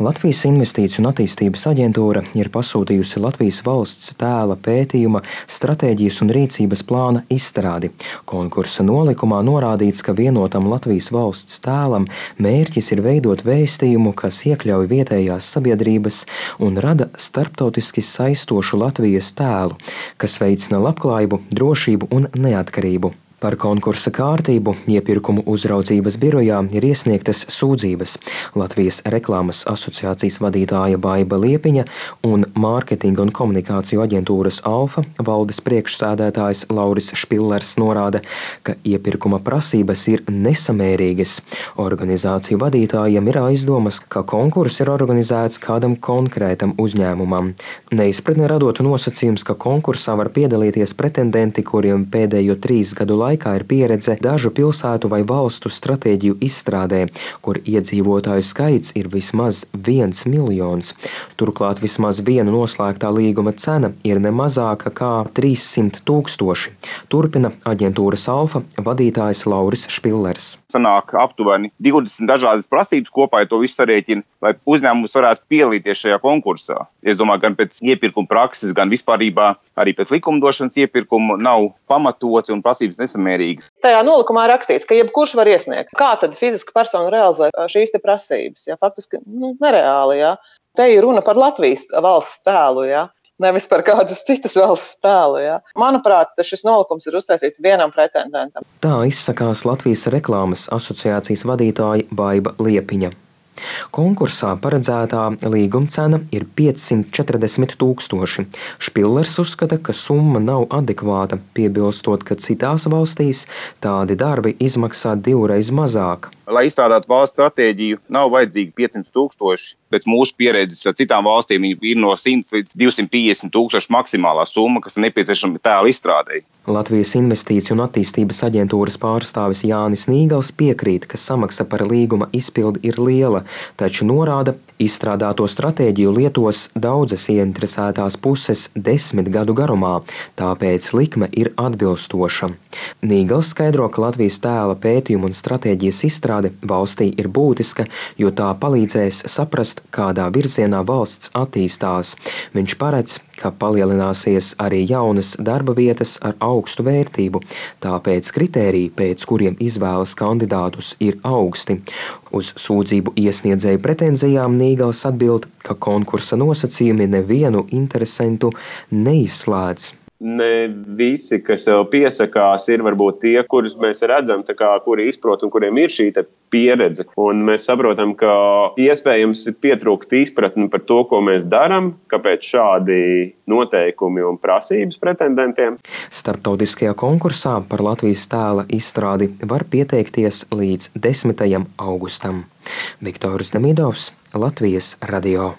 Latvijas Investīciju un attīstības aģentūra ir pasūtījusi Latvijas valsts tēla pētījuma, stratēģijas un rīcības plāna izstrādi. Konkursa nolikumā norādīts, ka vienotam Latvijas valsts tēlam mērķis ir veidot vēstījumu, kas iekļauj vietējās sabiedrības un rada starptautiski saistošu Latvijas tēlu, kas veicina labklājību, drošību un neatkarību. Par konkursa kārtību iepirkumu uzraudzības birojā ir iesniegtas sūdzības. Latvijas reklāmas asociācijas vadītāja Baiba Liepiņa un mārketinga un komunikāciju aģentūras Alfa valdes priekšsēdētājs Lauris Špillers norāda, ka iepirkuma prasības ir nesamērīgas. Organizāciju vadītājiem ir aizdomas, ka konkurss ir organizēts kādam konkrētam uzņēmumam. Neizpratni radot nosacījums, ka konkursā var piedalīties pretendenti, kuriem pēdējo 3 gadu laikā ir pieredze dažu pilsētu vai valstu stratēģiju izstrādē, kur iedzīvotāju skaits ir vismaz 1 miljons. Turklāt vismaz viena noslēgtā līguma cena ir ne mazāka kā 300 000. Turpina aģentūras Alfa vadītājs Lauris Špillers. Sanāk aptuveni 20 dažādas prasības kopā, ja to visu sarēķina, lai uzņēmums varētu piedalīties šajā konkursā. Es domāju, gan pēc iepirkuma prakses, gan vispārībā arī pēc likumdošanas iepirkuma nav pamatots un prasības nesamērīgas. Tajā nolikumā rakstīts, ka jebkurš var iesniegt. Kā tad fiziska persona realizē šīs te prasības? Ja? Faktiski nereāli. Ja? Te ir runa par Latvijas valsts tēlu. Ja? Nevis par kādas citas valsts tēlu. Ja? Manuprāt, šis nolikums ir uztaisīts vienam pretendentam. Tā izsakās Latvijas reklāmas asociācijas vadītāja Baiba Liepiņa. Konkursā paredzētā līguma cena ir 540 000. Špillers uzskata, ka summa nav adekvāta, piebilstot, ka citās valstīs tādi darbi izmaksā 2 reizes mazāk. Lai izstrādātu valsts stratēģiju, nav vajadzīgi 500 000. Pēc mūsu pieredzes ar citām valstīm ir no 100 līdz 250 000 maksimālā summa, kas ir nepieciešama tēla izstrādei. Latvijas Investīciju un attīstības aģentūras pārstāvis Jānis Nīgals piekrīt, ka samaksa par līguma izpildi ir liela, taču norāda, izstrādāto stratēģiju lietos daudzas ieinteresētās puses 10 gadu garumā, tāpēc likme ir atbilstoša. Nīgals skaidro, ka Latvijas tēla pētījuma un stratēģijas izstrāde valstī ir būtiska, jo tā palīdzēs saprast, kādā virzienā valsts attīstās. Viņš paredz, ka palielināsies arī jaunas darba vietas ar augstu vērtību, tāpēc kritēriji, pēc kuriem izvēlas kandidātus, ir augsti. Uz sūdzību iesniedzēju pretenzijām Nīgals atbild, ka konkursa nosacījumi nevienu interesentu neizslēdz. Ne visi, kas sev piesakās, ir varbūt tie, kurus mēs redzam, kuri izprot un kuriem ir šī pieredze. Un mēs saprotam, ka iespējams pietrūkst izpratni par to, ko mēs darām, kāpēc šādi noteikumi un prasības pretendentiem. Starptautiskajā konkursā par Latvijas tēla izstrādi var pieteikties līdz 10. augustam. Viktors Demidovs, Latvijas radio.